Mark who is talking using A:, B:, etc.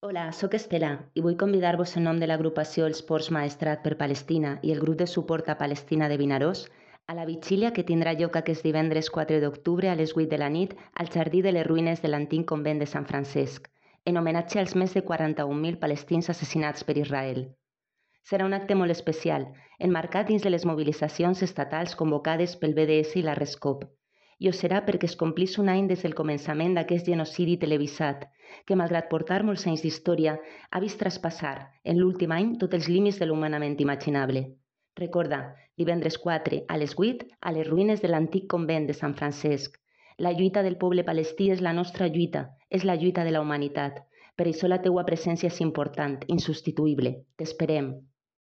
A: Hola, sóc Estela i vull convidar-vos en nom de l'agrupació Els Ports Maestrat per Palestina i el grup de suport a Palestina de Vinaròs a la vigília que tindrà lloc aquest divendres 4 d'octubre a les 8 de la nit al Jardí de les Ruïnes de l'antic convent de Sant Francesc, en homenatge als més de 41.000 palestins assassinats per Israel. Serà un acte molt especial, enmarcat dins de les mobilitzacions estatals convocades pel BDS i la RESCOP, i ho serà perquè es complís un any des del començament d'aquest genocidi televisat, que malgrat portar molts anys d'història, ha vist traspassar, en l'últim any, tots els límits de l'humanament imaginable. Recorda, divendres 4 a les 8, a les ruïnes de l'antic convent de Sant Francesc. La lluita del poble palestí és la nostra lluita, és la lluita de la humanitat. Per això la teua presència és important, insubstituïble. T'esperem.